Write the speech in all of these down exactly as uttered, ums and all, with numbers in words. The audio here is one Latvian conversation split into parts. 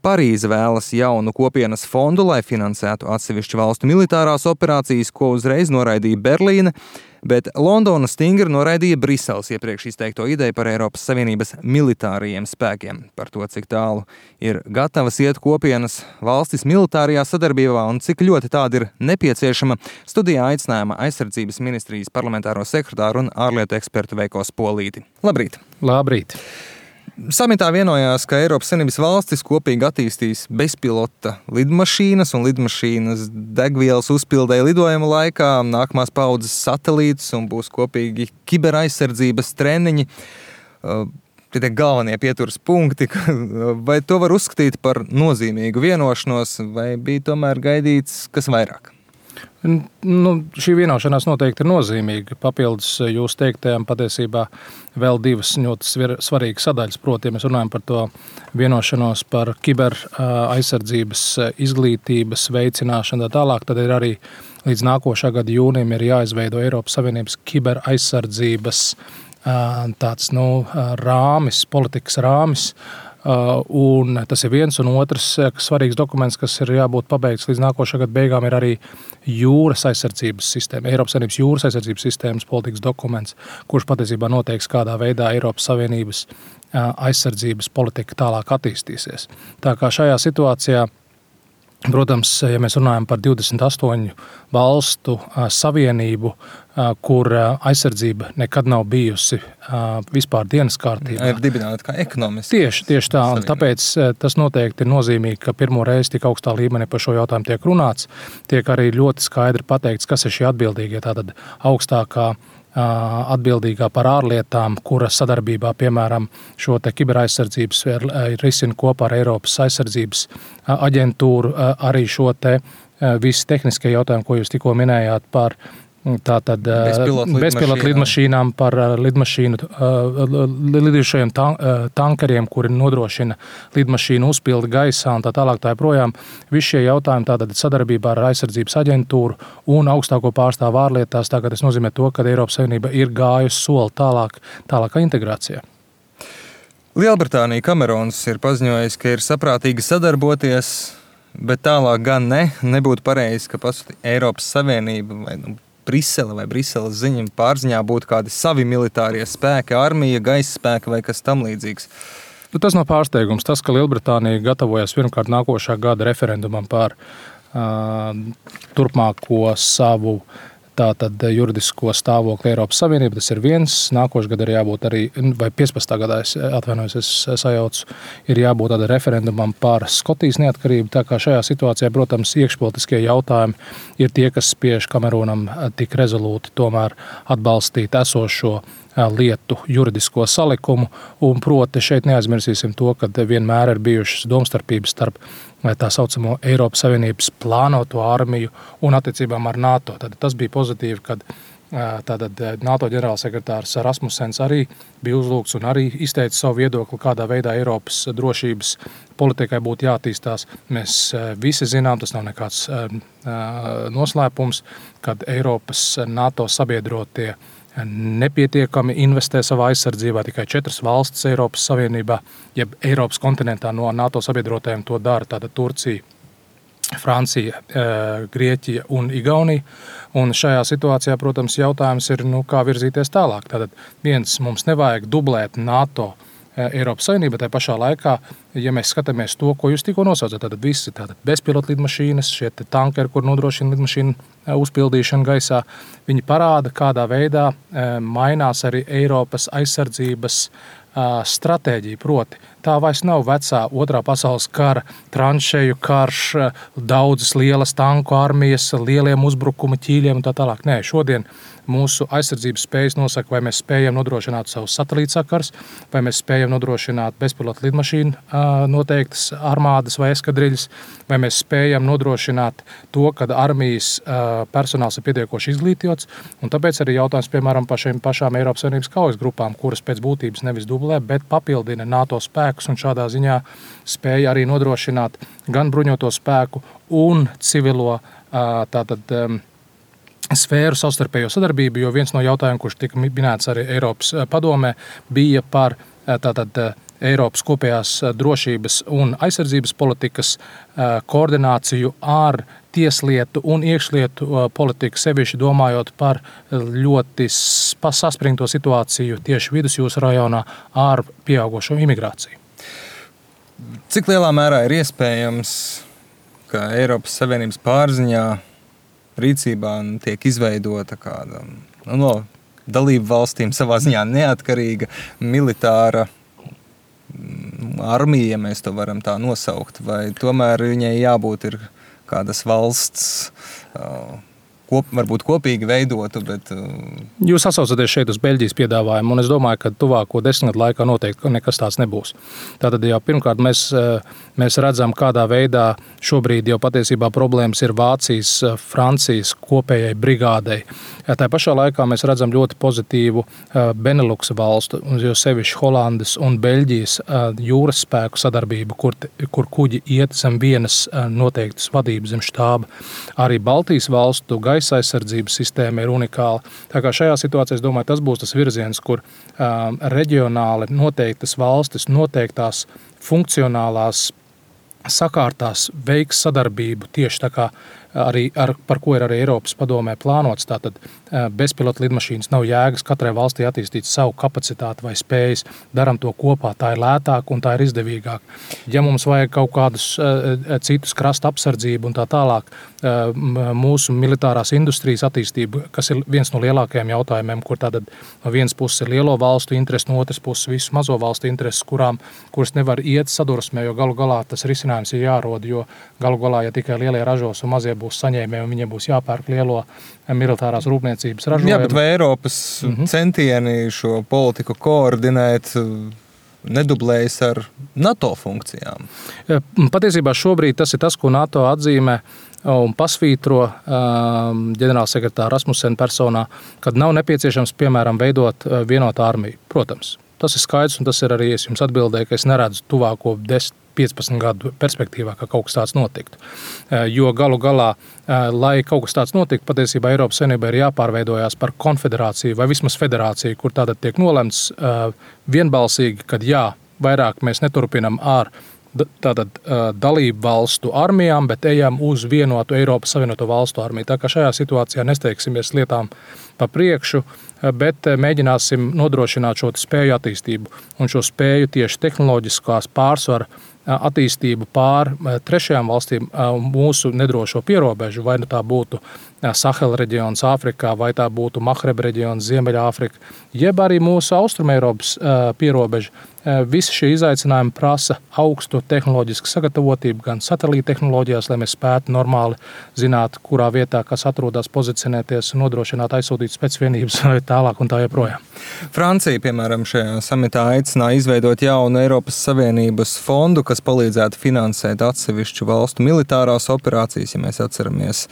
Parīze vēlas jaunu kopienas fondu, lai finansētu atsevišķu valstu militārās operācijas, ko uzreiz noraidīja Berlīne, bet Londona stingri noraidīja Briseles iepriekš izteikto ideju par Eiropas Savienības militārajiem spēkiem. Par to, cik tālu ir gatavas iet kopienas valstis militārajā sadarbībā un cik ļoti tāda ir nepieciešama, studijā aicinājuma aizsardzības ministrijas parlamentāro sekretāru un ārlietu ekspertu Veiko Spolīti. Labrīt! Labrīt! Samitā vienojās, ka Eiropas Savienības valstis kopīgi attīstīs bezpilota lidmašīnas un lidmašīnas degvielas uzpildē lidojuma laikā, nākamās paudzes satelītus un būs kopīgi kiberaizsardzības treniņi. Tie tie galvenie pieturas punkti, vai to var uzskatīt par nozīmīgu vienošanos, vai bija tomēr gaidīts kas vairāk? Nu, šī vienošanās noteikti ir nozīmīga. Papildus jūs teiktajām patiesībā vēl divas ļoti svarīgas sadaļas. Proti, ja mēs runājam par to vienošanos par kiber aizsardzības izglītības veicināšanu tā tālāk, tad ir arī līdz nākošā gada jūnijam ir jāizveido Eiropas Savienības kiber aizsardzības tāds, nu, rāmis, politikas rāmis. Uh, un tas ir viens, un otrs svarīgs dokuments, kas ir jābūt pabeigts līdz nākošā gada beigām, ir arī jūras aizsardzības sistēma, Eiropas Savienības jūras aizsardzības sistēmas politikas dokuments, kurš patiesībā noteiks, kādā veidā Eiropas Savienības uh, aizsardzības politika tālāk attīstīsies. Tā kā šajā situācijā, protams, ja mēs runājam par divdesmit astoņu valstu uh, savienību, uh, kur uh, aizsardzība nekad nav bijusi uh, vispār dienas kārtībā. Ir dibināta kā ekonomiski. Tieši, tieši tā, un tāpēc uh, tas noteikti ir nozīmīgi, ka pirmo reizi tik augstā līmenī par šo jautājumu tiek runāts. Tiek arī ļoti skaidri pateikts, kas ir šie atbildīgie, tātad augstākā atbildīgā par ārlietām, kura sadarbībā, piemēram, šo te kiberaizsardzības risina kopā ar Eiropas aizsardzības aģentūru, arī šo te visi tehniskie jautājumi, ko jūs tikko minējāt par tātad bezpilota lidmašīnām, par lidmašīnu, lidošajiem tankeriem, kuri nodrošina lidmašīnu uzpildi gaisā un tā tālāk tā joprojām. Visi šie jautājumi tātad sadarbībā ar aizsardzības aģentūru un augstāko pārstāvu ārlietās, tā kā tas nozīmē to, ka Eiropas Savienība ir gājusi soli tālāk, tālākā integrācijā. Lielbritānija Kamerons ir paziņojis, ka ir saprātīgi sadarboties, bet tālāk gan ne, nebūtu pareizi, ka pats Eiropas Savienība vai nu, Brisele vai Briseles ziņa pārziņā būtu kādi savi militārie spēki, armija, gaisa spēki vai kas tam līdzīgs. Nu, tas nav pārsteigums. Tas, ka Lielbritānija gatavojas pirmkārt nākošā gada referendumam par uh, turpmāko savu tātad juridisko stāvokli Eiropas Savienība, tas ir viens. Nākošais gada ir jābūt arī, vai piecpadsmitā gadā, es atvainojos, es sajaucu, ir jābūt tāda referendumam par Skotijas neatkarību. Tā kā šajā situācijā, protams, iekšpolitiskie jautājumi ir tie, kas spiež Kamerūnam tik rezolūti tomēr atbalstīt esošo lietu juridisko salikumu, un proti šeit neaizmirsīsim to, ka vienmēr ir bijušas domstarpības starp tā saucamo Eiropas Savienības plānoto armiju un attiecībām ar NATO. Tad tas bija pozitīvi, kad tātad NATO ģenerālsekretārs Rasmussens arī bija uzlūgts un arī izteica savu viedokli, kādā veidā Eiropas drošības politikai būtu jātīstās. Mēs visi zinām, tas nav nekāds noslēpums, kad Eiropas NATO sabiedrotie nepietiekami investē savā aizsardzībā, tikai četras valstis Eiropas Savienībā, jeb Eiropas kontinentā no NATO sabiedrotajiem to dara, tātad Turcija, Francija, Grieķija un Igaunija. Un šajā situācijā, protams, jautājums ir, nu, kā virzīties tālāk. Tātad viens, mums nevajag dublēt NATO Eiropas Savienība, tai pašā laikā, ja mēs skatāmies to, ko jūs tikko nosaucat, tad visi tātad bezpilota lidmašīnas, šie tankeri, kur nodrošina lidmašīnu uzpildīšanu gaisā, viņi parāda, kādā veidā mainās arī Eiropas aizsardzības stratēģija, proti. Tā vairs nav vecā otrā pasaules kara tranšeju karš, daudzas lielas tanku armijas, lieliem uzbrukuma ķīļiem un tā tālāk. Nē, šodien mūsu aizsardzības spējas nosaka, vai mēs spējam nodrošināt savus satelītsakars, vai mēs spējam nodrošināt bezpilota lidmašīnu noteiktas armādas vai eskadriļas, vai mēs spējam nodrošināt to, ka armijas personāls ir pietiekoši izglītots, un tāpēc arī jautājums, piemēram, par šīm pašām Eiropas Savienības kaujas grupām, kuras pēc būtības nevis dublē, bet papildina NATO spēkus un šādā ziņā spēja arī nodrošināt gan bruņoto spēku un civilo tātad sfēru savstarpējo sadarbību, jo viens no jautājumiem, kurš tika minēts arī Eiropas padomē, bija par tātad Eiropas kopējās drošības un aizsardzības politikas koordināciju ar tieslietu un iekšlietu politiku, sevišķi domājot par ļoti saspringto situāciju tieši vidusjūras rajonā ar pieaugušo imigrāciju. Cik lielā mērā ir iespējams, ka Eiropas Savienības pārziņā rīcībā tiek izveidota kāda no dalību valstīm savā ziņā neatkarīga militāra armija, ja mēs to varam tā nosaukt, vai tomēr viņai jābūt ir kādas valsts, kop, varbūt kopīgi veidotu, bet... Jūs atsaucaties šeit uz Beļģijas piedāvājumu, un es domāju, ka tuvāko desmit gadu laikā noteikti nekas tāds nebūs. Tātad jau pirmkārt mēs, mēs redzam, kādā veidā šobrīd jau patiesībā problēmas ir Vācijas, Francijas kopējai brigādei. Tā pašā laikā mēs redzam ļoti pozitīvu Beneluksa valstu, jo sevišķi Holandes un Beļģijas jūras spēku sadarbību, kur, kur kuģi iet zem vienas noteiktas vadības zem štāba. Arī Baltijas valstu gaisa aizsardzības sistēma ir unikāla. Tā kā šajā situācijā, es domāju, tas būs tas virziens, kur um, reģionāli noteiktas valstis, noteiktās funkcionālās sakārtās veiks sadarbību tieši tā kā arī ar, par ko ir arī Eiropas padomē plānots. Tātad bezpilota lidmašīnas nav jēgas katrai valstī attīstīt savu kapacitāti vai spējas. Daram to kopā, tā ir lētāk un tā ir izdevīgāk. Ja mums vajag kaut kādus citus krasta apsardzību un tā tālāk, mūsu militārās industrijas attīstību, kas ir viens no lielākajiem jautājumiem, kur tātad no vienas puses ir lielo valstu interesi, no otras puses visu mazo valstu intereses, kurām, kuras nevar iet sadursmē, jo galu galā tas risinājums ir jārod, jo galu galā, ja tikai lielie ražos un mazie būs saņēmēji un viņiem būs jāpērk lielo militārās rūpniecības ražojumu. Jā, bet vai Eiropas mm-hmm. centieni šo politiku koordinēt nedublējas ar NATO funkcijām? Patiesībā šobrīd tas ir tas, ko NATO atzīmē un pasvītro um, ģenerālsekretāra Rasmussena personā, kad nav nepieciešams, piemēram, veidot vienotu armiju. Protams, tas ir skaidrs, un tas ir arī, es jums atbildēju, ka es neredzu tuvāko desmit piecpadsmit gadu perspektīvā, ka kaut kas tāds notiktu. Jo galu galā, lai kaut kas tāds notiktu, patiesībā Eiropas Savienībā ir jāpārveidojās par konfederāciju vai vismaz federāciju, kur tātad tiek nolemts vienbalsīgi, kad jā, vairāk mēs neturpinam ar tātad dalību valstu armijām, bet ejam uz vienotu Eiropas Savienoto valstu armiju. Tā kā šajā situācijā nesteigsimies lietām pa priekšu, bet mēģināsim nodrošināt šo spēju attīstību un šo spēju tieši tehnoloģiskās pārsvara attīstību pār trešajām valstīm mūsu nedrošo pierobežu, vai nu tā būtu Sahela reģions Āfrikā, vai tā būtu Mahreb reģions Ziemeļāfrika, jeb arī mūsu Austrumeiropas pierobeža. Visi šie izaicinājumi prasa augstu tehnoloģisku sagatavotību, gan satelīta tehnoloģijās, lai mēs spētu normāli zināt, kurā vietā kas atrodas, pozicionēties un nodrošināt aizsūtīt specvienības vai tālāk un tā joprojām. Francija, piemēram, šajā samitā aicināja izveidot jaunu Eiropas Savienības fondu, kas palīdzētu finansēt atsevišķu valstu militārās operācijas, ja mēs atceramies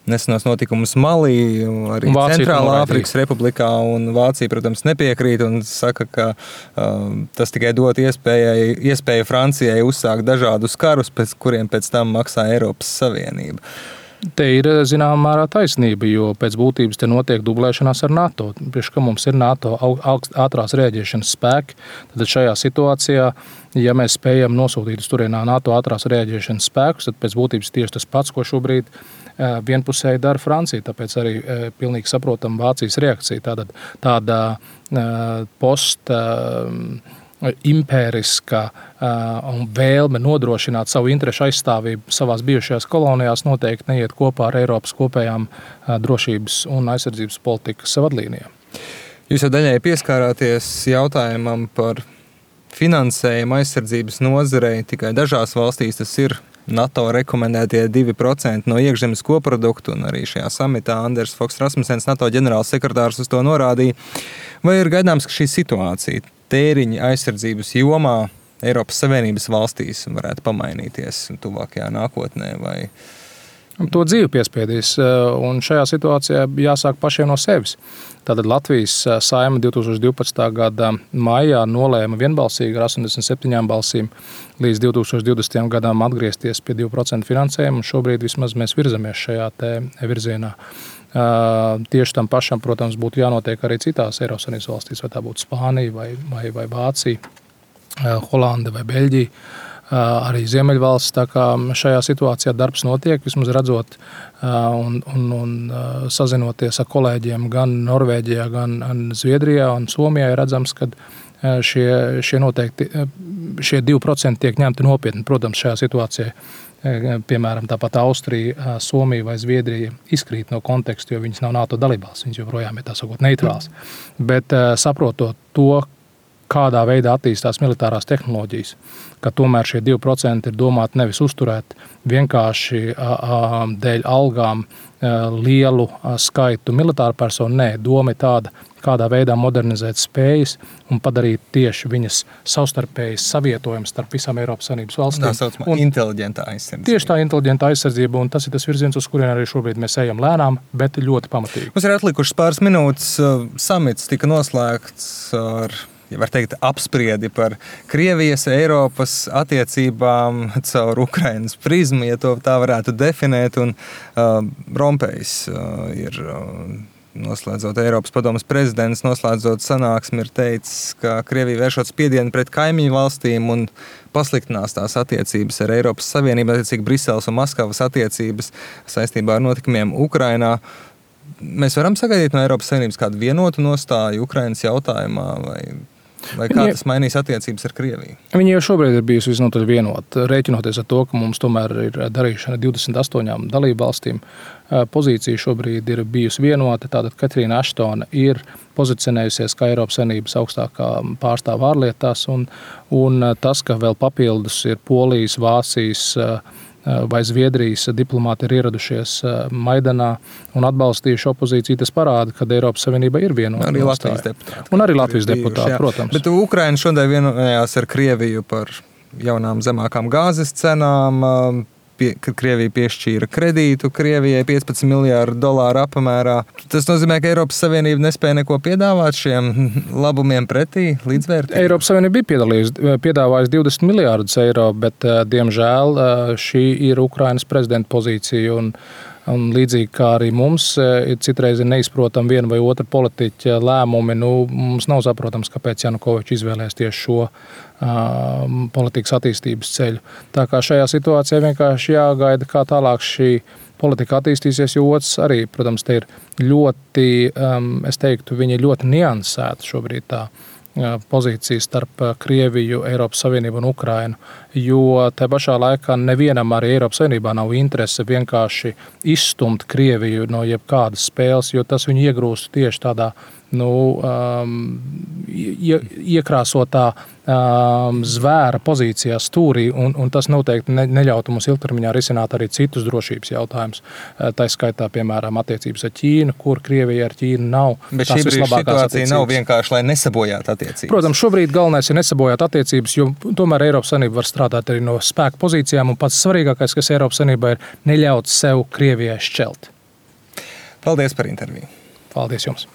nesenos notikumus Malī, arī Centrālā Āfrikas Republikā, un Vācija, protams, nepiekrīt un saka, ka uh, tas tikai dot iespēju, iespēju Francijai uzsākt dažādus karus, pēc kuriem pēc tam maksā Eiropas Savienība. Te ir zināmā mērā taisnība, jo pēc būtības te notiek dublēšanās ar NATO. Priekš, ka mums ir NATO ātrās rēģēšanas spēki, tad šajā situācijā, ja mēs spējam nosūtīt uz turienā NATO ātrās rēģēšanas spēkus, tad pēc būtības tieši tas pats, ko šobrīd vienpusēji dara Francija, tāpēc arī pilnīgi saprotam Vācijas reakcija. Tātad tāda post impēriska un vēlme nodrošināt savu interešu aizstāvību savās bijušajās kolonijās noteikti neiet kopā ar Eiropas kopējām drošības un aizsardzības politikas vadlīnijām. Jūs jau daļai pieskārāties jautājumam par finansējumu aizsardzības nozarei. Tikai dažās valstīs tas ir NATO rekomendētie divi procenti no iekšzemes koprodukta, un arī šajā samitā Anders Fogh Rasmussens, NATO ģenerālsekretārs, uz to norādīja. Vai ir gaidāms, ka šī situācija tēriņa aizsardzības jomā Eiropas Savienības valstīs varētu pamainīties tuvākajā nākotnē? Vai... To dzīvi piespiedīs, un šajā situācijā jāsāk pašiem no sevis. Tātad Latvijas Saeima divtūkstoš divpadsmitā gada maijā nolēma vienbalsīgi ar astoņdesmit septiņām balsīm līdz divtūkstoš divdesmitajam gadam atgriezties pie divu procentu finansējuma, un šobrīd vismaz mēs virzamies šajā te virzienā. Tieši tam pašam, protams, būtu jānotiek arī citās Eiropas Savienības valstīs, vai tā būtu Spānija vai, vai, vai Vācija. Holanda vai Beļģija, arī Ziemeļvalsts. Tā kā šajā situācijā darbs notiek, vismaz redzot un, un, un sazinoties ar kolēģiem gan Norvēģijā, gan Zviedrijā un Somijā, ir redzams, ka šie, šie noteikti, šie divi procenti tiek ņemti nopietni. Protams, šajā situācijā, piemēram, tāpat Austrija, Somija vai Zviedrija izkrīt no konteksta, jo viņas nav NATO dalībvalstis, viņas joprojām ir tā sakot neitrāls. Bet saprotot to, kādā veidā attīstās militārās tehnoloģijas, ka tomēr šie divi procenti ir domāti nevis uzturēt vienkārši dēļ algām lielu skaitu militāru personu, nē, doma ir tāda, kādā veidā modernizēt spējas un padarīt tieši viņas savstarpējas savietojumus starp visām Eiropas Savienības valstīm. Tā saucamā inteliģentā aizsardzība. Tieši tā inteliģentā aizsardzība, un tas ir tas virziens, uz kurien arī šobrīd mēs ejam lēnām, bet ļoti pamatīgi. Mums ir atlikušas pāris minūtes. Samits tika noslēgts ar, ja var teikt, apspriedi par Krievijas, Eiropas attiecībām caur Ukrainas prizmu, ja to tā varētu definēt, un uh, Rompējs uh, ir uh, noslēdzot Eiropas padomes prezidents, noslēdzot sanāksmi, ir teicis, ka Krievija vēršot spiedienu pret kaimiņu valstīm un pasliktinās tās attiecības ar Eiropas Savienību, attiecīgi Briseles un Maskavas attiecības saistībā ar notikumiem Ukrainā. Mēs varam sagaidīt no Eiropas Savienības kādu vienotu nostāju Ukrainas jautājumā, vai, vai kā tas mainīs attiecības ar Krieviju? Viņi jau šobrīd ir bijusi visnotaļ vienota, rēķinoties ar to, ka mums tomēr ir darīšana divdesmit astoņām dalību valstīm. Pozīcija šobrīd ir bijusi vienota, tātad Katrīna Aštona ir pozicionējusies kā Eiropas Savienības augstākā pārstāve ārlietās, un, un tas, ka vēl papildus ir Polijas, Vācijas vai Zviedrijas diplomāti ir ieradušies Maidanā un atbalstījuši opozīciju, tas parāda, ka Eiropas Savienība ir vienota. Arī Latvijas deputāti. Un arī Latvijas deputāti, protams. Bet Ukraina šodien vienojās ar Krieviju par jaunām zemākām gāzes cenām, pie, kad Krievija piešķīra kredītu Krievijai piecpadsmit miljārdu dolāru apmērā. Tas nozīmē, ka Eiropas Savienība nespēja neko piedāvāt šiem labumiem pretī, līdzvērtīgi? Eiropas Savienība bija piedāvājusi divdesmit miljārdus eiro, bet, diemžēl, šī ir Ukrainas prezidenta pozīcija, un Un līdzīgi kā arī mums ir citreiz neizprotam viena vai otra politiķa lēmumi, nu, mums nav saprotams, kāpēc Janukovičs izvēlēs tieši šo uh, politikas attīstības ceļu. Tā kā šajā situācijā vienkārši jāgaida, kā tālāk šī politika attīstīsies, jo otrs arī, protams, te ir ļoti, um, es teiktu, viņa ir ļoti niansēta šobrīd tā pozīcija starp Krieviju, Eiropas Savienību un Ukrainu, jo te pašā laikā nevienam arī Eiropas Savienībā nav interese vienkārši izstumt Krieviju no jebkādas spēles, jo tas viņu iegrūst tieši tādā nu, um, ie, iekrāsotā um, zvēra pozīcijā stūrī, un, un tas noteikti ne, neļautu mums ilgtermiņā risināt arī citus drošības jautājumus. Tā skaitā, piemēram, attiecības ar Ķīnu, kur Krievija ar Ķīnu nav. Bet šī brīža situācija nav vienkārši, lai nesabojātu attiecības. Protams, šobrīd galvenais ir nesabojāt attiecības, jo tomēr Eiropas Savienība var strādāt arī no spēka pozīcijām, un pats svarīgākais, kas Eiropas Savienībā ir neļaut sev Krievijai šķelt. Paldies par interviju. Paldies jums.